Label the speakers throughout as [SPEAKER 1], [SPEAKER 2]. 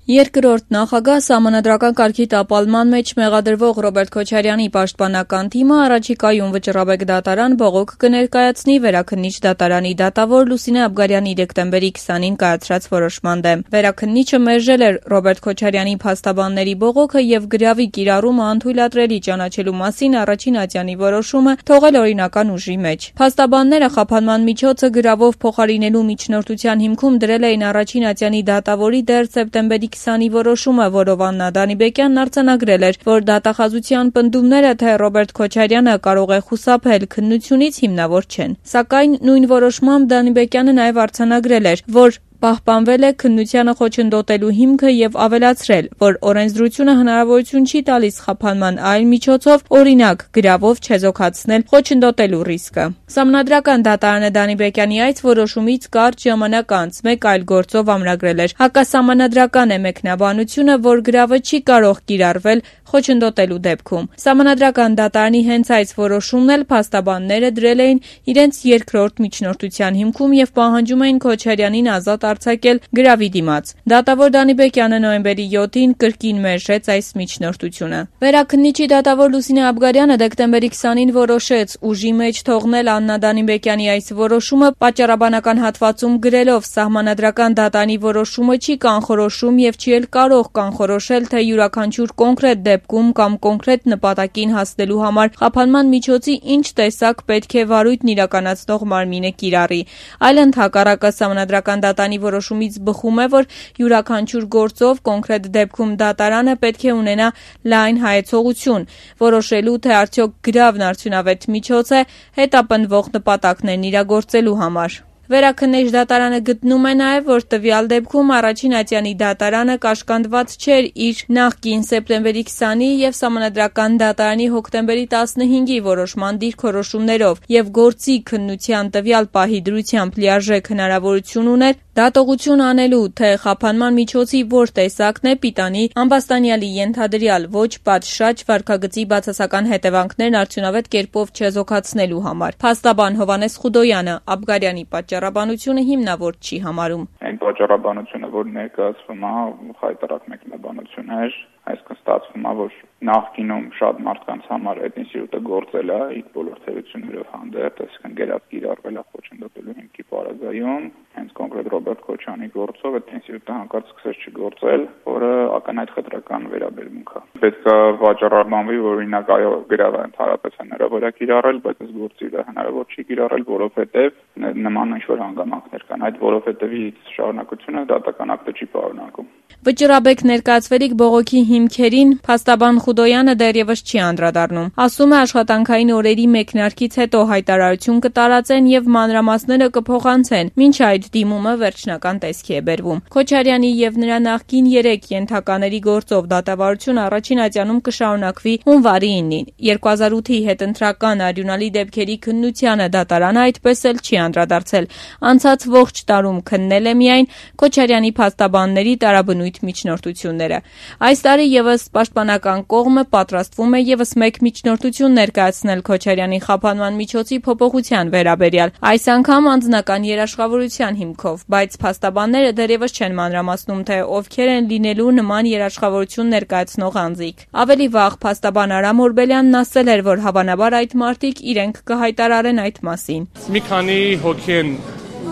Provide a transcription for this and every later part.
[SPEAKER 1] Երկրորդ նախագահ սահմանադրական կարգի տապալման մեջ մեղադրվող Ռոբերտ Քոչարյանի պաշտպանական թիմը առաջիկայում Վճռաբեկ դատարան բողոք կներկայացնի Վերաքննիչ դատարանի դատավոր Լուսինե Աբգարյանի դեկտեմբերի 20-ին կայացրած որոշման դեմ։ Վերաքննիչը մերժել էր Ռոբերտ Քոչարյանի փաստաբանների բողոքը եւ գրավի կիրառումը անթույլատրելի ճանաչելու մասին առաջին ատյանի որոշումը թողել օրինական ուժի մեջ։ Փաստաբանները խափանման միջոցը գրավով փոխարինելու միջնորդության հիմքում դրել էին առաջին ատյանի դատավորի դեռ սեպտեմբերի 20-ի որոշումը, որով Աննա Դանիբեկյանն արձանագրել էր, որ դատախազության պնդումները, թե Ռոբերտ Քոչարյանը կարող է խուսափել քննությունից հիմնավոր չեն։ Սակայն նույն որոշմամբ Դանիբեկյանը նաև արձանագրել էր, որ պահպանվել է քննությանը խոչընդոտելու հիմքը եւ ավելացրել, որ օրենսդրությունը հնարավորություն չի տալիս խափանման այլ միջոցով, օրինակ գրավով չեզոքացնել խոչընդոտելու ռիսկը։ Սահմանադրական դատարանը Դանիբեկյանի այս որոշումից կարճ ժամանակ անց մեկ այլ գործով ամրագրել էր. հակասահմանադրական է մեկնաբանությունը, որ գրավը չի կարող կիրառվել խոչընդոտելու դեպքում։ Սահմանադրական դատարանի հենց այս որոշումն էլ փաստաբանները դրել էին իրենց երկրորդ միջնորդության հիմքում եւ պահանջում էին Քոչարյանին ազատ արձակել գրավի դիմաց։ Դատավոր Դանիբեկյանը նոյեմբերի 7-ին կրկին մերժեց այս միջնորդությունը։ Վերաքննիչի դատավոր Լուսինե Աբգարյանը դեկտեմբերի 20-ին որոշեց ուժի մեջ թողնել Աննա Դանիբեկյանի այս որոշումը պատճառաբանական հատվածում գրելով սահմանադրական դատարանի որոշումը չի կանխորոշում եւ չի էլ կարող կանխորոշել, թե յուրաքանչյուր կոնկրետ դեպքում կամ կոնկրետ նպատակին հասնելու համար խափանման միջոցի ինչ տեսակ պետք է վարույթն իրականացնող մարմինը կիրառի։ Այլընդ հակառակը սահմանադրական դատարանի որոշումից բխում է, որ յուրաքանչյուր գործով կոնկրետ դեպքում դատարանը պետք է ունենա լայն հայեցողություն, որոշելու թե արդյոք գրավն արդյունավետ միջոց է հետապնդվող նպատակներն իրագործելու համար։ Վերաքննիչ դատարանը գտնում է նաև, որ տվյալ դեպքում առաջին ատյանի դատարանը կաշկանդված չէր իր նախկին սեպտեմբերի 20-ի եւ սահմանադրական դատարանի հոկտեմբերի 15-ի որոշման դիրքորոշումներով եւ գործի քննության տվյալ պահի դրությամբ լիարժեք հնարավորություն ուներ դատողություն անելու, թե խափանման միջոցի որ տեսակն է պիտանի ամբաստանյալի ենթադրյալ ոչ պատշաճ վարքագծի բացասական հետևանքներն արդյունավետ կերպով չեզոքացնելու համար։ Փաստաբան Հովհաննես Խուդոյանը Աբգարյանի պատճառաբանությունը հիմնավոր չի համարում։
[SPEAKER 2] Այն պատճառաբանությունը, որ ներկայացվում է, խայտարակ մեկնաբանություն էր, այսինքն ստացվում է, որ նախկինում շատ մարդկանց համար այդ ինստիտուտը գործել է իր բոլոր թերություններով հանդերձ, այսինքն գերած կիրառվել է խոչընդոտելու հիմքի պարագայում, հենց կոնկրետ Ռոբերտ Քոչարյանի գործով այդ ինստիտուտը հանկարծ սկսեց չգործել, որը ակնհայտ խտրական վերաբերմունք է։ Պետք է վաճառաբանվի, որ օրինակ այո գրավը ընդհանրապես հնարավոր է կիրառել, բայց այս գործի վրա հնարավոր չի կիրառել, որովհետև նման ինչ-որ հանգամանքներ կան։ Այդ որովհետևից շարունակությունը դատական ակտը չի պարունակում։
[SPEAKER 1] Վճռաբեկ ներկայացվելիք բողոքի հիմքերին փաստաբան Խուդոյանը դեռևս չի անդրադառնում։ Ասում է աշխատանքային օրերի մեկնարկից հետո հայտարարություն կտարածեն եւ մանրամասները կփոխանցեն, մինչ այդ դիմումը վերջնական տեսքի է բերվում։ Քոչարյանի եւ նրա նախկին 3 ենթակաների գործով դատավարություն առաջին ատյանում կշարունակվի հունվարի 9-ին։ 2008-ի հետընտրական արյունալի դեպքերի քննությանը դատարանը այդպես էլ չի անդրադարձել։ Անցած ողջ տարում քննել է միայն Քոչարյանի փաստաբանների տարաբնույթ միջնորդությունները։ Այս տարի եւս պաշտպանական կողմը պատրաստվում է եւս մեկ միջնորդություն ներկայացնել Քոչարյանի խափանման միջոցի փոփոխության վերաբերյալ, այս անգամ անձնական երաշխավորության հիմքով, բայց փաստաբանները դեռևս չեն մանրամասնում, թե ովքեր են լինելու նման երաշխավորություն ներկայացնող անձիկ։ Ավելի վաղ փաստաբան Արամ Օրբելյանն ասել էր, որ հավանաբար այդ մարդիկ իրենք կհայտարարեն այդ մասին։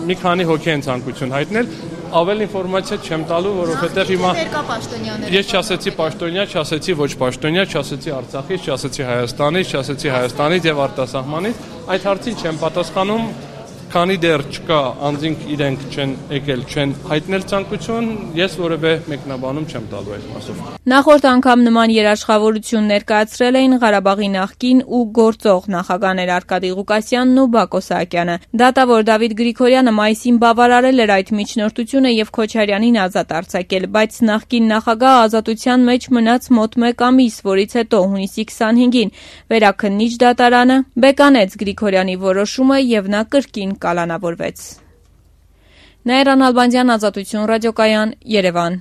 [SPEAKER 3] Մի քանի հոգի են ցանկություն հայտնել, ավել ինֆորմացիա չեմ տալու, որովհետև հիմա ես չասեցի պաշտոնյա, չասեցի ոչ պաշտոնյա, չասեցի Արցախից, չասեցի Հայաստանից եւ արտասահմանից, այդ հարցին չեմ պատասխանում, քանի դեռ չկա անձինք իրենք չեն եկել, չեն հայտնել ցանկություն, ես որևէ մեկնաբանում չեմ տալու այդ մասով։
[SPEAKER 1] Նախորդ անգամ նման երաշխավորություն ներկայացրել էին Ղարաբաղի նախկին ու գործող նախագահներ Արկադի Ղուկասյանն ու Բակո Սահակյանը։ Դատավոր Դավիթ Գրիգորյանը մայիսին բավարարել էր այդ միջնորդությունը եւ Քոչարյանին ազատ արձակել, բայց նախկին նախագահը ազատության մեջ մնաց մոտ 1 ամիս, որից հետո հունիսի 25-ին Վերաքննիչ դատարանը բեկանեց Գրիգորյանի որոշումը եւ նա կրկին կալանավորվեց։ Նաիրա Նալբանդյան, Ազատություն ռադիոկայան, Երևան։